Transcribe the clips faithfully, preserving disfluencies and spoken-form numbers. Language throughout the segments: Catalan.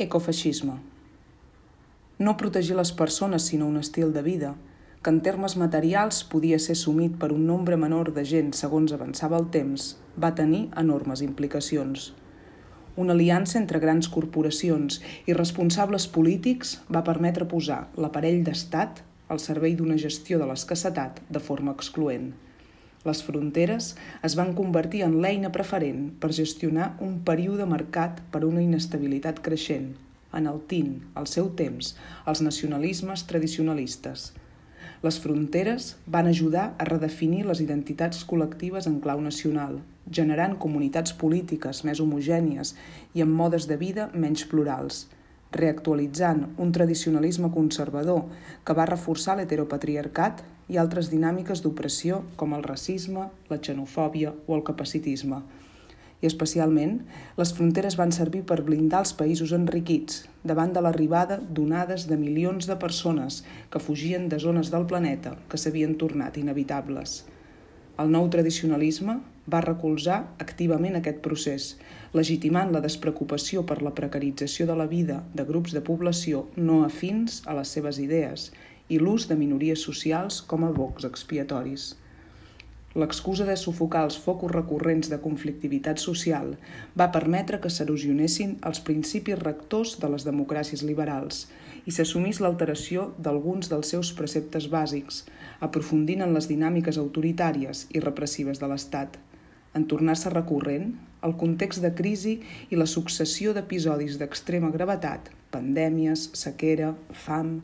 Ecofeixisme. No protegir les persones sinó un estil de vida, que en termes materials podia ser assumit per un nombre menor de gent segons avançava el temps, va tenir enormes implicacions. Una aliança entre grans corporacions i responsables polítics va permetre posar l'aparell d'estat al servei d'una gestió de l'escassetat de forma excloent. Les fronteres es van convertir en l'eina preferent per gestionar un període marcat per una inestabilitat creixent, enaltint, al seu temps, els nacionalismes tradicionalistes. Les fronteres van ajudar a redefinir les identitats col·lectives en clau nacional, generant comunitats polítiques més homogènies i amb modes de vida menys plurals, reactualitzant un tradicionalisme conservador que va reforçar l'heteropatriarcat i altres dinàmiques d'opressió com el racisme, la xenofòbia o el capacitisme. I especialment, les fronteres van servir per blindar els països enriquits davant de l'arribada d'onades de milions de persones que fugien de zones del planeta que s'havien tornat inevitables. El nou tradicionalisme va recolzar activament aquest procés, legitimant la despreocupació per la precarització de la vida de grups de població no afins a les seves idees i l'ús de minories socials com a bocs expiatoris. L'excusa de sufocar els focus recurrents de conflictivitat social va permetre que s'erosionessin els principis rectors de les democràcies liberals i s'assumís l'alteració d'alguns dels seus preceptes bàsics, aprofundint en les dinàmiques autoritàries i repressives de l'Estat. En tornar-se recurrent, el context de crisi i la successió d'episodis d'extrema gravetat, pandèmies, sequera, fam,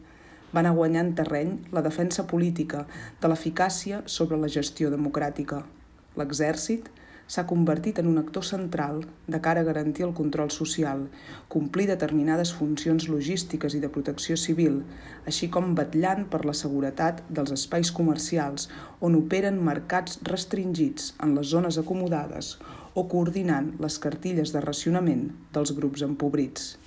va anar guanyant terreny la defensa política de l'eficàcia sobre la gestió democràtica. L'exèrcit s'ha convertit en un actor central de cara a garantir el control social, complir determinades funcions logístiques i de protecció civil, així com vetllant per la seguretat dels espais comercials on operen mercats restringits en les zones acomodades o coordinant les cartilles de racionament dels grups empobrits.